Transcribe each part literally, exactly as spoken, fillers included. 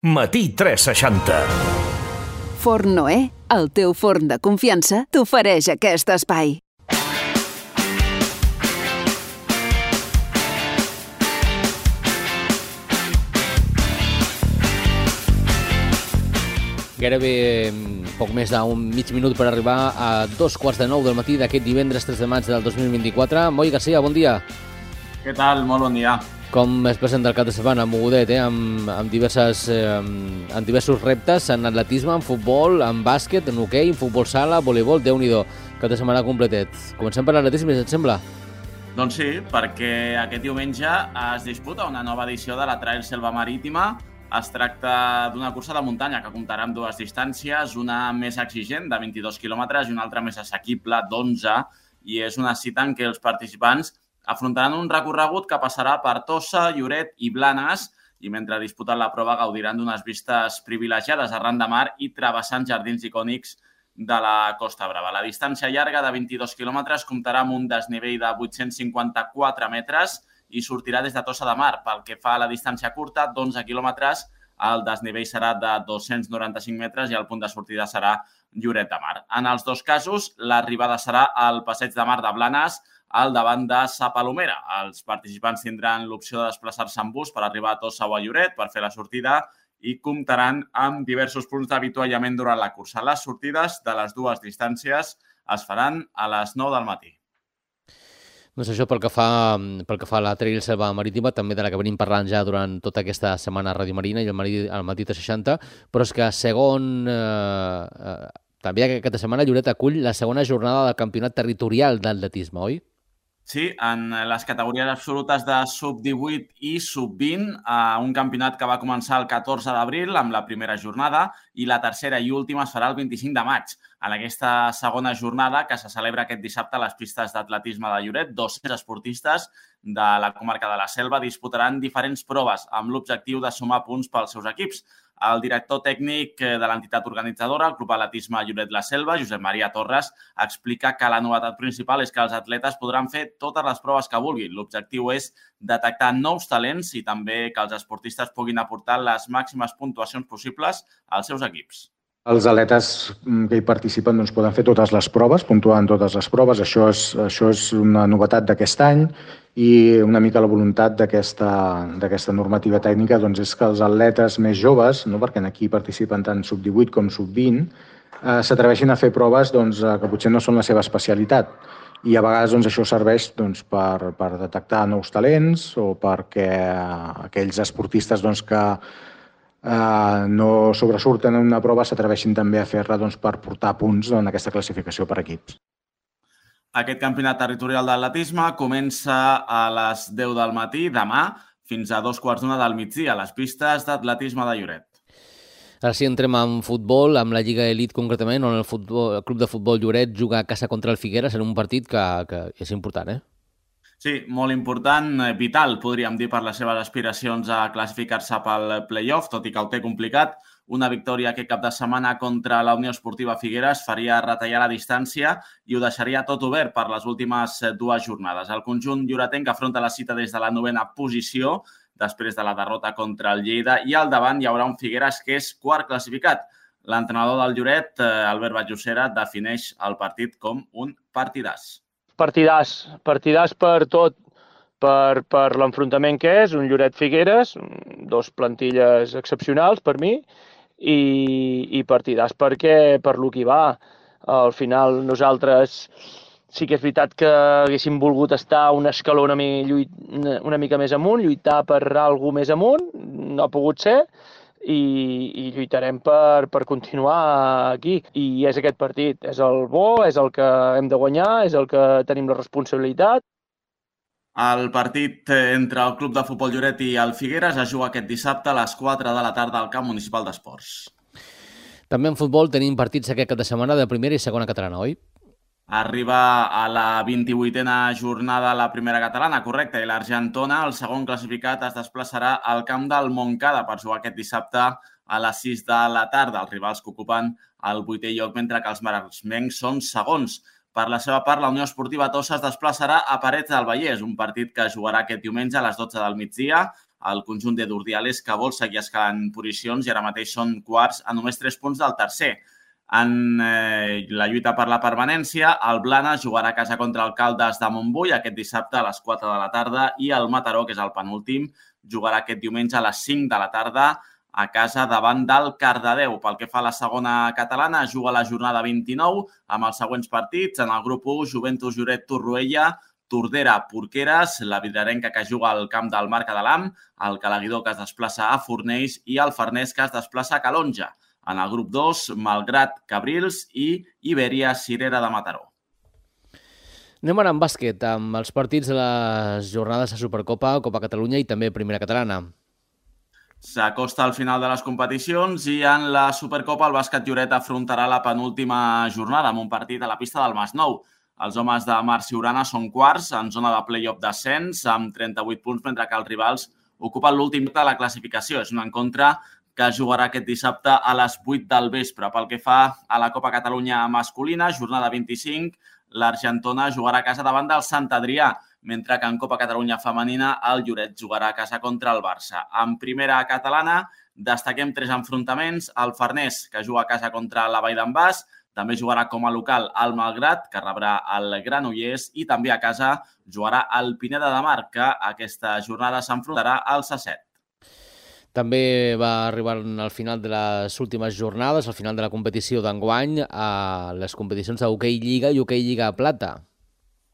Matí tres seixanta. Forn Noé, el teu forn de confiança, t'ofereix aquest espai. Gairebé poc més d'un mig minut per arribar a dos quarts de nou del matí d'aquest divendres tres de maig del dos mil vint-i-quatre. Moi Garcia, bon dia. Què tal? Molt bon dia. Com es presenta el cap de setmana? Mogudet, eh? amb, amb, diverses, eh, amb diversos reptes en atletisme, en futbol, en bàsquet, en hoquei, en futbol sala, voleibol, Déu-n'hi-do. Cap de setmana completet. Comencem per l'atletisme, si et sembla? Doncs sí, perquè aquest diumenge es disputa una nova edició de la Trail Selva Marítima. Es tracta d'una cursa de muntanya que comptarà amb dues distàncies, una més exigent de vint-i-dos quilòmetres i una altra més assequible d'onze, i és una cita en què els participants afrontaran un recorregut que passarà per Tossa, Lloret i Blanes, i mentre disputen la prova gaudiran d'unes vistes privilegiades arran de mar i travessant jardins icònics de la Costa Brava. La distància llarga de vint-i-dos quilòmetres comptarà amb un desnivell de vuit-cents cinquanta-quatre metres i sortirà des de Tossa de Mar. Pel que fa a la distància curta, d'onze quilòmetres, el desnivell serà de dos-cents noranta-cinc metres i el punt de sortida serà Lloret de Mar. En els dos casos, l'arribada serà al Passeig de Mar de Blanes, al davant de Sa Palomera. Els participants tindran l'opció de desplaçar-se en bus per arribar a Tossa o a Lloret per fer la sortida i comptaran amb diversos punts d'avituallament durant la cursa. Les sortides de les dues distàncies es faran a les nou del matí. Doncs això pel que fa, pel que fa a la Trail Selva Marítima, també de la que venim parlant ja durant tota aquesta setmana a Ràdio Marina i al matí, al matí tres seixanta, però és que segon... Eh, eh, també aquesta setmana Lloret acull la segona jornada del campionat territorial d'atletisme, oi? Sí, en les categories absolutes de sub divuit i sub vint, un campionat que va començar el catorze d'abril amb la primera jornada i la tercera i última es farà el vint-i-cinc de maig. En aquesta segona jornada, que se celebra aquest dissabte a les pistes d'atletisme de Lloret, dos-cents esportistes de la comarca de la Selva disputaran diferents proves amb l'objectiu de sumar punts pels seus equips. El director tècnic de l'entitat organitzadora, el Club Atletisme Lloret La Selva, Josep Maria Torres, explica que la novetat principal és que els atletes podran fer totes les proves que vulguin. L'objectiu és detectar nous talents i també que els esportistes puguin aportar les màximes puntuacions possibles als seus equips. Els atletes que hi participen doncs, poden fer totes les proves, puntuant totes les proves. Això és, això és una novetat d'aquest any i una mica la voluntat d'aquesta normativa tècnica doncs, és que els atletes més joves, no, perquè aquí participen tant sub divuit com sub vint, eh, s'atreveixin a fer proves doncs, que potser no són la seva especialitat. I a vegades doncs, això serveix doncs, per, per detectar nous talents o perquè aquells esportistes doncs, que Uh, no sobresurten en una prova s'atreveixin també a fer-la doncs, per portar punts en aquesta classificació per equips. Aquest campionat territorial d'atletisme comença a les deu del matí demà fins a dos quarts d'una del migdia a les pistes d'atletisme de Lloret. Ara sí, entrem en futbol, amb la Lliga Elite concretament, on el, futbol, el club de futbol Lloret juga a casa contra el Figueres en un partit que, que és important, eh? Sí, molt important, vital, podríem dir, per les seves aspiracions a classificar-se pel play-off, tot i que ho té complicat. Una victòria aquest cap de setmana contra la Unió Esportiva Figueres faria retallar la distància i ho deixaria tot obert per les últimes dues jornades. El conjunt lloretenc afronta la cita des de la novena posició, després de la derrota contra el Lleida, i al davant hi haurà un Figueres que és quart classificat. L'entrenador del Lloret, Albert Batllocera, defineix el partit com un partidàs. Partidàs, partidàs per tot, per, per l'enfrontament que és, un Lloret-Figueres, dos plantilles excepcionals per mi, i, i partidàs perquè per lo que va. Al final nosaltres sí que és veritat que haguéssim volgut estar un escaló una, una mica més amunt, lluitar per alguna més amunt, no ha pogut ser, I, i lluitarem per, per continuar aquí. I és aquest partit, és el bo, és el que hem de guanyar, és el que tenim la responsabilitat. El partit entre el Club de Futbol Lloret i el Figueres es juga aquest dissabte a les quatre de la tarda al Camp Municipal d'Esports. També en futbol tenim partits aquest cap de setmana de primera i segona catalana, oi? Arriba a la vint-i-vuitena jornada la primera catalana, correcte, i l'Argentona, el segon classificat, es desplaçarà al camp del Montcada per jugar aquest dissabte a les sis de la tarda. Els rivals que ocupen el vuitè lloc, mentre que els maresmencs són segons. Per la seva part, la Unió Esportiva Tossa es desplaçarà a Parets del Vallès, un partit que jugarà aquest diumenge a les dotze del migdia el conjunt de d'Urdiales, que vol seguir escalant posicions i ara mateix són quarts a només tres punts del tercer. En eh, la lluita per la permanència, el Blanes jugarà a casa contra el Caldes de Montbui aquest dissabte a les quatre de la tarda i el Mataró, que és el penúltim, jugarà aquest diumenge a les cinc de la tarda a casa davant del Cardedeu. Pel que fa a la segona catalana, juga la jornada vint-i-nou amb els següents partits. En el grup u, Joventut Lloret Torroella, Tordera Porqueres, la vidrerenca que juga al camp del Marca de l'Am, el Calaguidor que es desplaça a Fornells i el Farners que es desplaça a Calonja. En el grup dos, Malgrat Cabrils i Ibèria Cirera de Mataró. Anem ara amb bàsquet, amb els partits de les jornades de Supercopa, Copa Catalunya i també Primera Catalana. S'acosta al final de les competicions i en la Supercopa el bàsquet Lloret afrontarà la penúltima jornada amb un partit a la pista del Masnou. Els homes de Marc Siurana són quarts en zona de play-off d'ascens amb trenta-vuit punts, mentre que els rivals ocupen l'últim de la classificació. És un encontre que jugarà aquest dissabte a les vuit del vespre. Pel que fa a la Copa Catalunya masculina, jornada vint-i-cinc, l'Argentona jugarà a casa davant del Sant Adrià, mentre que en Copa Catalunya femenina el Lloret jugarà a casa contra el Barça. En primera catalana destaquem tres enfrontaments. El Farners, que juga a casa contra la Vall d'en Bas, també jugarà com a local el Malgrat, que rebrà el Granollers, i també a casa jugarà el Pineda de Mar, que aquesta jornada s'enfrontarà al Sasset. També va arribar al final de les últimes jornades, al final de la competició d'enguany, a les competicions d'hoquei Lliga i hoquei Lliga Plata.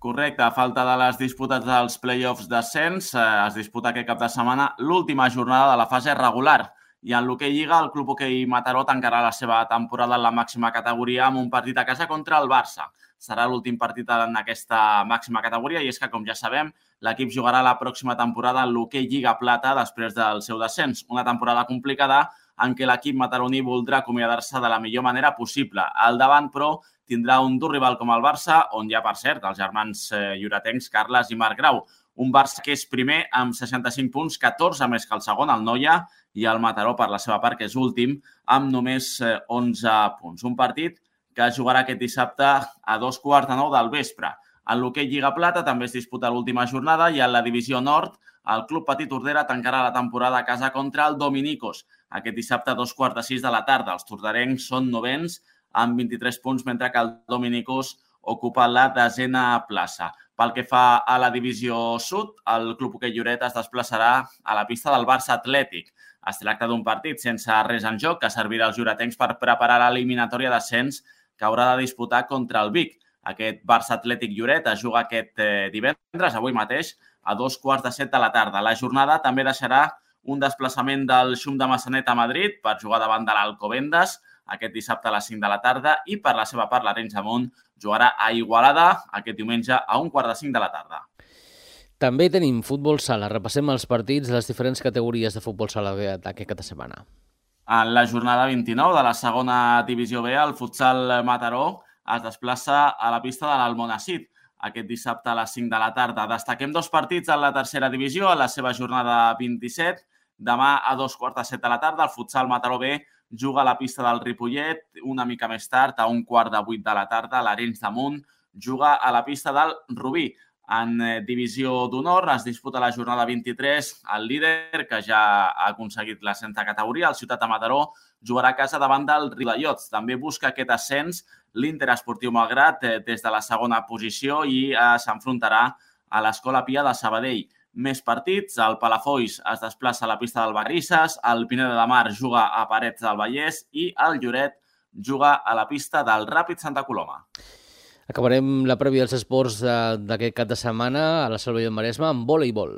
Correcte, a falta de les disputes dels play-offs d'ascens, es disputa aquest cap de setmana l'última jornada de la fase regular. I en l'hoquei Lliga, el Club Hoquei Mataró tancarà la seva temporada en la màxima categoria amb un partit a casa contra el Barça. Serà l'últim partit en aquesta màxima categoria i és que, com ja sabem, l'equip jugarà la pròxima temporada en l'hoquei Lliga Plata després del seu descens. Una temporada complicada en què l'equip mataroní voldrà acomiadar-se de la millor manera possible. Al davant, però, tindrà un dur rival com el Barça, on hi ha, per cert, els germans lloretencs Carles i Marc Grau. Un Barça que és primer amb seixanta-cinc punts, catorze més que el segon, el Noia, i el Mataró, per la seva part, que és últim, amb només onze punts. Un partit que es jugarà aquest dissabte a dos quarts de nou del vespre. En l'hoquei Lliga Plata també es disputa l'última jornada i en la divisió nord el Club Petit Tordera tancarà la temporada a casa contra el Dominicos. Aquest dissabte a dos quarts de sis de la tarda. Els tordarencs són novens amb vint-i-tres punts, mentre que el Dominicos ocupa la desena plaça. Pel que fa a la divisió sud, el Club Hoquei Lloret es desplaçarà a la pista del Barça Atlètic. Es tracta d'un partit sense res en joc que servirà als lloretencs per preparar l'eliminatòria d'ascens que haurà de disputar contra el Vic. Aquest Barça Atlètic Lloret es juga aquest divendres, avui mateix, a dos quarts de set de la tarda. La jornada també deixarà un desplaçament del Xum de Massanet a Madrid per jugar davant de l'Alcobendas aquest dissabte a les cinc de la tarda i, per la seva part, l'Arenys de Munt jugarà a Igualada aquest diumenge a un quart de cinc de la tarda. També tenim futbol sala. Repassem els partits de les diferents categories de futbol sala d'aquest cap de setmana. En la jornada vint-i-nou de la segona divisió B, el futsal Mataró es desplaça a la pista de l'Almonacid aquest dissabte a les cinc de la tarda. Destaquem dos partits en la tercera divisió, a la seva jornada vint-i-set. Demà a dos quarts de set de la tarda, el futsal Mataró B juga a la pista del Ripollet. Una mica més tard, a un quart de vuit de la tarda, l'Arenys de Munt juga a la pista del Rubí. En divisió d'honor es disputa la jornada vint-i-tres. El líder, que ja ha aconseguit l'ascens de categoria, el Ciutat de Mataró, jugarà a casa davant del Riudellots. També busca aquest ascens l'Inter Esportiu Malgrat des de la segona posició i s'enfrontarà a l'Escola Pia de Sabadell. Més partits, el Palafolls es desplaça a la pista del Barrisses, el Pineda de Mar juga a Parets del Vallès i el Lloret juga a la pista del Ràpid Santa Coloma. Acabarem la prèvia dels esports d'aquest cap de setmana a la Selva i el Maresme amb voleibol.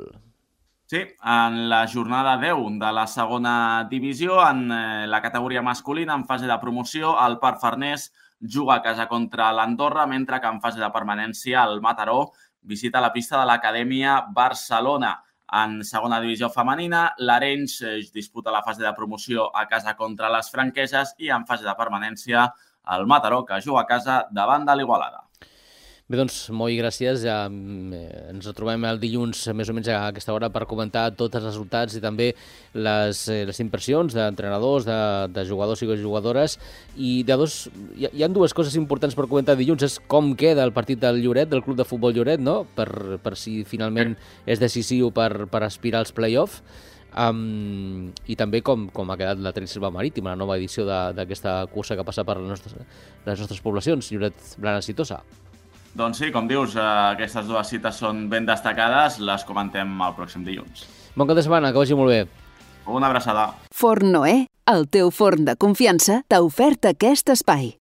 Sí, en la jornada deu de la segona divisió, en la categoria masculina, en fase de promoció, el Parc Farners juga a casa contra l'Andorra, mentre que en fase de permanència el Mataró visita la pista de l'Acadèmia Barcelona. En segona divisió femenina, l'Arenys disputa la fase de promoció a casa contra les franqueses i en fase de permanència el Mataró, que juga a casa davant de l'Igualada. Bé, doncs, molt gràcies. Ja ens retrobem el dilluns més o menys a aquesta hora per comentar tots els resultats i també les, les impressions d'entrenadors, de, de jugadors i jugadores. I de dos, hi, hi ha dues coses importants per comentar dilluns. És com queda el partit del Lloret, del Club de Futbol Lloret, no? per, per si finalment és decisiu per, per aspirar als play-off. Um, I també com, com ha quedat la Trail Selva Marítima, la nova edició d'aquesta cursa que passa per les nostres, les nostres poblacions, Lloret Blanes i Tossa. Doncs sí, com dius, aquestes dues cites són ben destacades, les comentem el pròxim dilluns. Bon cap de setmana, que vagi molt bé. Una abraçada. Forn Noè, el teu forn de confiança, t'ha ofert aquest espai.